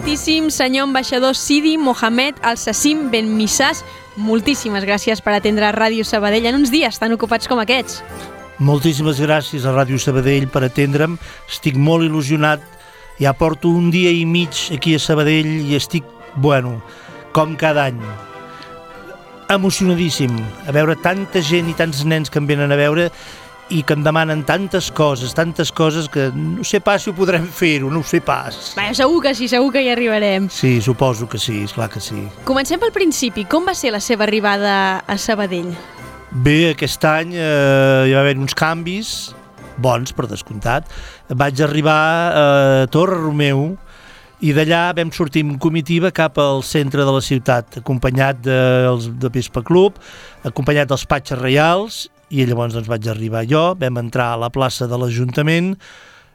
Excelentíssim senyor ambaixador Sidi Mohamed Al-Sassim Ben Missas, moltíssimes gràcies per atendre Ràdio Sabadell en uns dies tan ocupats com aquests. Moltíssimes gràcies a Ràdio Sabadell per atendre'm. Estic molt il·lusionat. Ja porto un dia i mig aquí a Sabadell i estic, com cada any, emocionadíssim a veure tanta gent i tants nens que em venen a veure i que em demanen tantes coses que no sé pas si ho podrem fer-ho, no ho sé pas. Segur que sí, segur que hi arribarem. Sí, suposo que sí, esclar que sí. Comencem pel principi. Com va ser la seva arribada a Sabadell? Bé, aquest any hi va haver uns canvis, bons per descomptat. Vaig arribar a Torre Romeu i d'allà vam sortir en comitiva cap al centre de la ciutat, acompanyat del Vespa Club, acompanyat dels Patxes Reials, i llavors vaig arribar jo, vam entrar a la plaça de l'Ajuntament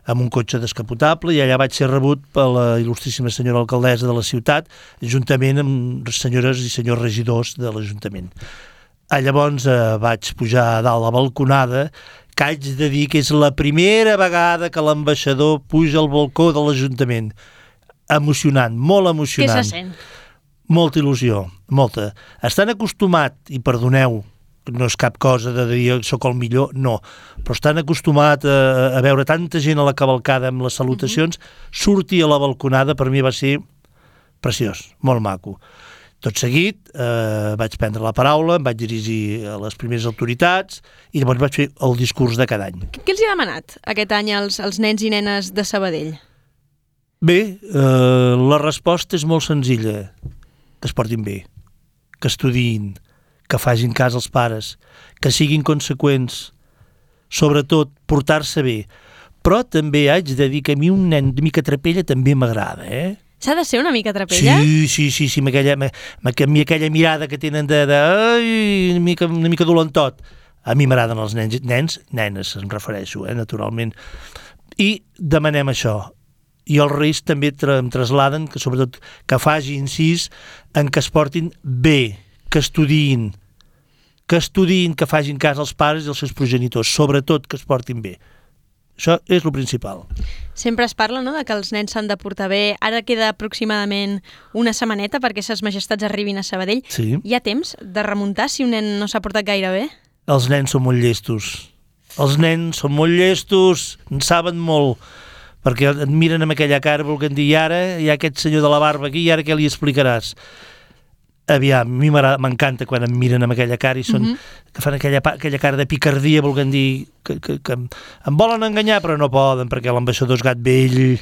amb un cotxe descapotable i allà vaig ser rebut per la il·lustríssima senyora alcaldessa de la ciutat, juntament amb senyores i senyors regidors de l'Ajuntament. Llavors vaig pujar a dalt la balconada, que haig de dir que és la primera vegada que l'ambaixador puja al balcó de l'Ajuntament. Emocionant, molt emocionant. Què se sent? Molta il·lusió, molta. Estan acostumat, i perdoneu, no és cap cosa de dir soc el millor, no, però estan acostumat a veure tanta gent a la cavalcada amb les salutacions, sortir a la balconada per mi va ser preciós, molt maco. Tot seguit vaig prendre la paraula, em vaig dirigir a les primeres autoritats i llavors vaig fer el discurs de cada any. Què els hi ha demanat aquest any als nens i nenes de Sabadell? Bé, la resposta és molt senzilla, que es portin bé, que estudiïn, que facin cas als pares, que siguin conseqüents, sobretot portar-se bé. Però també haig de dir que a mi un nen de mica trapella també m'agrada, S'ha de ser una mica trapella? Sí, amb aquella mirada que tenen una mica dolentot. A mi m'agraden els nens, nenes em refereixo, naturalment. I demanem això. I els Reis també em trasladen que sobretot que faci incís en que es portin bé, que estudiïn, que facin cas als pares i als seus progenitors, sobretot que es portin bé. Això és el principal. Sempre es parla, no?, de que els nens s'han de portar bé. Ara queda aproximadament una setmaneta perquè ses majestats arribin a Sabadell. Sí. Hi ha temps de remuntar si un nen no s'ha portat gaire bé? Els nens són molt llestos. En saben molt, perquè et miren amb aquella cara volent dir, i ara hi ha aquest senyor de la barba aquí, i ara què li explicaràs? Aviam, a mi m'encanta quan em miren amb aquella cara i que fan aquella cara de picardia volent dir que em volen enganyar però no poden perquè l'ambaixador és gat vell,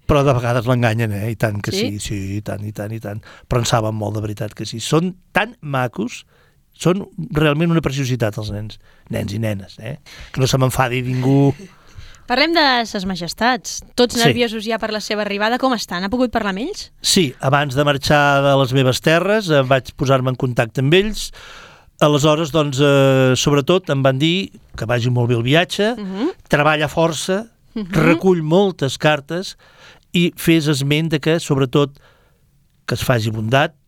però de vegades l'enganyen, i tant que sí, i tant. Però en saben molt, de veritat que sí. Són tan macos, són realment una preciositat els nens i nenes, que no se m'enfadi ningú. Parlem de ses majestats. Tots nerviosos ja per la seva arribada. Com estan? Ha pogut parlar amb ells? Sí, abans de marxar de les meves terres vaig posar-me en contacte amb ells. Aleshores, doncs, sobretot em van dir que vagi molt bé el viatge, treballa força, recull moltes cartes i fes esment de que, sobretot, que es faci bondat,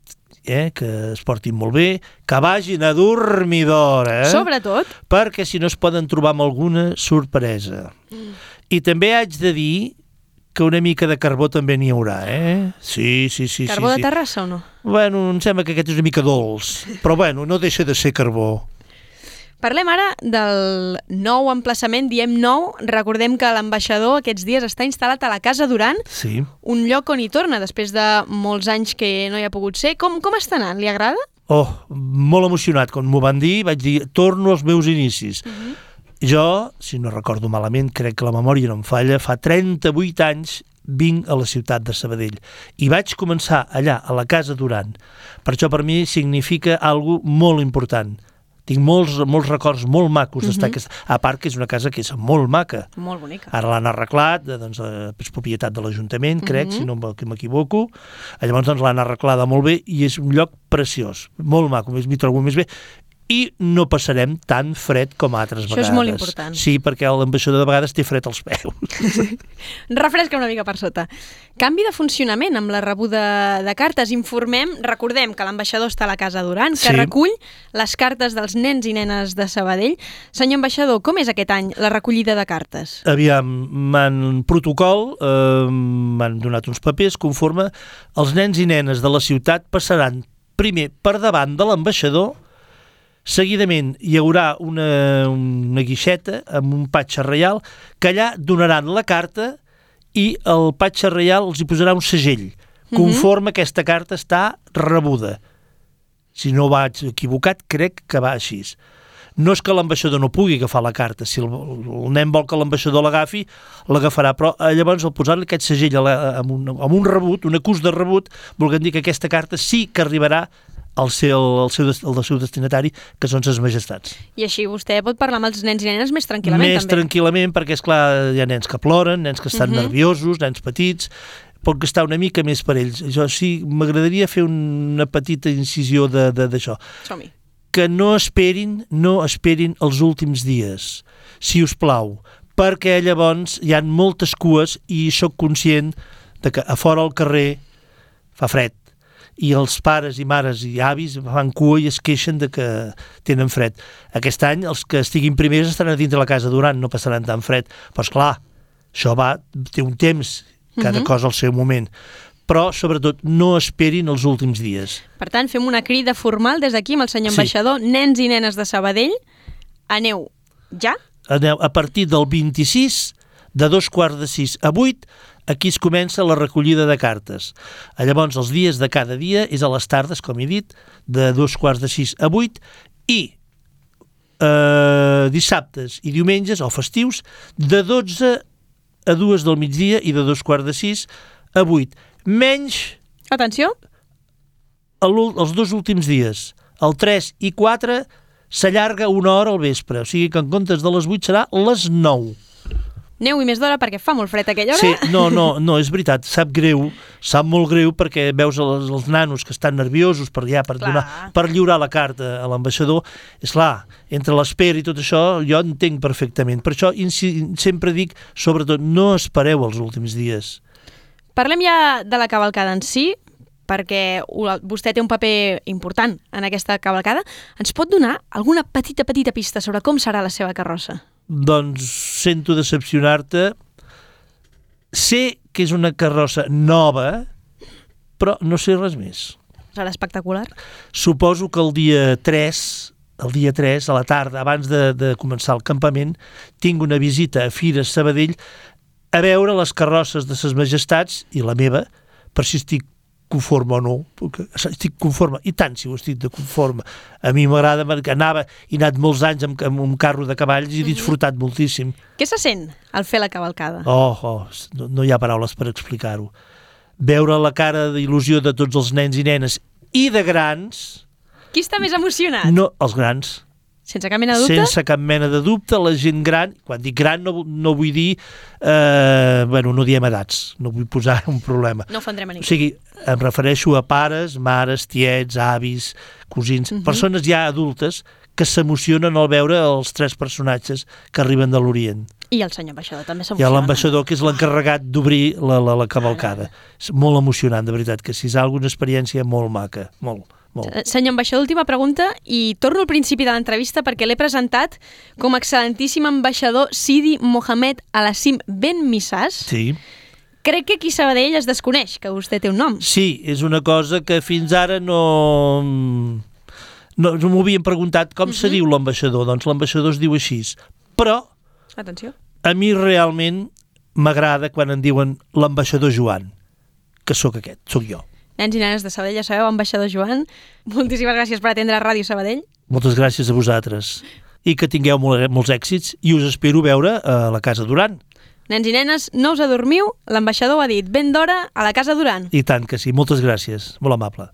que es portin molt bé, que vagin a dormir d'hora. Sobretot. Perquè si no es poden trobar amb alguna sorpresa. I també haig de dir que una mica de carbó també n'hi haurà, Sí. Carbó de Terrassa o no? Bueno, em sembla que aquest és una mica dolç, però bueno, no deixa de ser carbó. Parlem ara del nou emplaçament, diem nou, recordem que l'ambaixador aquests dies està instal·lat a la Casa Duran, sí. Un lloc on hi torna després de molts anys que no hi ha pogut ser. Com està anant? Li agrada? Molt emocionat, quan m'ho van dir, vaig dir, torno als meus inicis. Jo, si no recordo malament, crec que la memòria no em falla, fa 38 anys vinc a la ciutat de Sabadell i vaig començar allà, a la Casa Duran. Per això per mi significa alguna molt important. Tinc molts records molt macos d'estar aquesta... A part que és una casa que és molt maca. Molt bonica. Ara l'han arreglat, doncs és propietat de l'Ajuntament, crec, si no m'equivoco. Llavors doncs l'han arreglada molt bé i és un lloc preciós, molt maco, m'hi trobo més bé. i no passarem tan fred com altres vegades. Això és molt important. Sí, perquè l'ambaixador de vegades té fred als peus. Refresca una mica per sota. Canvi de funcionament amb la rebuda de cartes. Recordem que l'ambaixador està a la Casa Duran, que recull les cartes dels nens i nenes de Sabadell. Senyor ambaixador, com és aquest any la recollida de cartes? Aviam, m'han protocol, m'han donat uns papers conforme els nens i nenes de la ciutat passaran primer per davant de l'ambaixador. Seguidament hi haurà una guixeta amb un patge reial que allà donaran la carta i el patge reial els hi posarà un segell conforme aquesta carta està rebuda. Si no vaig equivocat, crec que va així. No és que l'ambaixador no pugui agafar la carta. Si el nen vol que l'ambaixador l'agafi, l'agafarà. Però llavors, al posar-li aquest segell amb un rebut, un acús de rebut, volguem dir que aquesta carta sí que arribarà al seu destinatari, que són ses majestats. I així vostè pot parlar amb els nens i nenes més tranquil·lament, també. Més tranquil·lament, perquè, esclar, hi ha nens que ploren, nens que estan nerviosos, nens petits, pot gastar una mica més per ells. Jo sí, m'agradaria fer una petita incisió d'això. Som-hi. Que no esperin els últims dies, si us plau, perquè llavors hi ha moltes cues i sóc conscient de que a fora al carrer fa fred i els pares i mares i avis fan cua i es queixen de que tenen fred. Aquest any els que estiguin primers estaran a dintre la Casa Duran, no passaran tan fred. Però esclar, això té un temps, cada cosa al seu moment. Però, sobretot, no esperin els últims dies. Per tant, fem una crida formal des d'aquí amb el senyor ambaixador. Nens i nenes de Sabadell, aneu ja? Aneu a partir del 26, de 5:45 a 8, aquí es comença la recollida de cartes. Llavors, els dies de cada dia és a les tardes, com he dit, de 5:45 a 8, i dissabtes i diumenges, o festius, de 12 a 2 del migdia i de 5:45 a 8. Menys... Atenció! Els dos últims dies, el 3 i 4, s'allarga una hora al vespre. O sigui que en comptes de les 8 serà les 9. Aneu-hi més d'hora perquè fa molt fred a aquella hora. Sí, no, és veritat, sap molt greu perquè veus els nanos que estan nerviosos per lliurar la carta a l'ambaixador. És clar, entre l'espera i tot això jo entenc perfectament. Per això sempre dic, sobretot, no espereu els últims dies. Parlem ja de la cavalcada en si, perquè vostè té un paper important en aquesta cavalcada. Ens pot donar alguna petita pista sobre com serà la seva carrossa? Doncs sento decepcionar-te. Sé que és una carrossa nova, però no sé res més. Serà espectacular? Suposo que el dia 3, a la tarda, abans de començar el campament, tinc una visita a Fires Sabadell a veure les carrosses de ses majestats i la meva, per si estic conforme o no, perquè estic conforme, i tant si ho estic de conforme. A mi m'agrada, he anat molts anys amb un carro de cavalls i he disfrutat moltíssim. Què se sent al fer la cavalcada? No hi ha paraules per explicar-ho. Veure la cara d'il·lusió de tots els nens i nenes i de grans... Qui està més emocionat? No, els grans. Sense cap mena de dubte? Sense cap mena de dubte, la gent gran, quan dic gran no vull dir, no diem edats, no vull posar un problema. No ofendrem a ningú. O sigui, em refereixo a pares, mares, tiets, avis, cosins, persones ja adultes que s'emocionen al veure els 3 personatges que arriben de l'Orient. I el senyor ambaixador també s'emociona. I l'ambaixador, que és l'encarregat d'obrir la cavalcada. És molt emocionant, de veritat, que si és alguna experiència molt maca, molt. Senyor ambaixador, última pregunta, i torno al principi de l'entrevista perquè l'he presentat com a excel·lentíssim ambaixador Sidi Mohamed Al-Hassim Ben Missas. Sí. Crec que aquí a Sabadell es desconeix que vostè té un nom. Sí, és una cosa que fins ara no m'ho havien preguntat com se diu l'ambaixador. Doncs l'ambaixador es diu així. Però atenció, a mi realment m'agrada quan em diuen l'ambaixador Joan, que sóc jo. Nens i nenes de Sabadell, ja sabeu, ambaixador Joan, moltíssimes gràcies per atendre Ràdio Sabadell. Moltes gràcies a vosaltres. I que tingueu molts èxits i us espero veure a la Casa Duran. Nens i nenes, no us adormiu, l'ambaixador ha dit ben d'hora a la Casa Duran. I tant que sí, moltes gràcies, molt amable.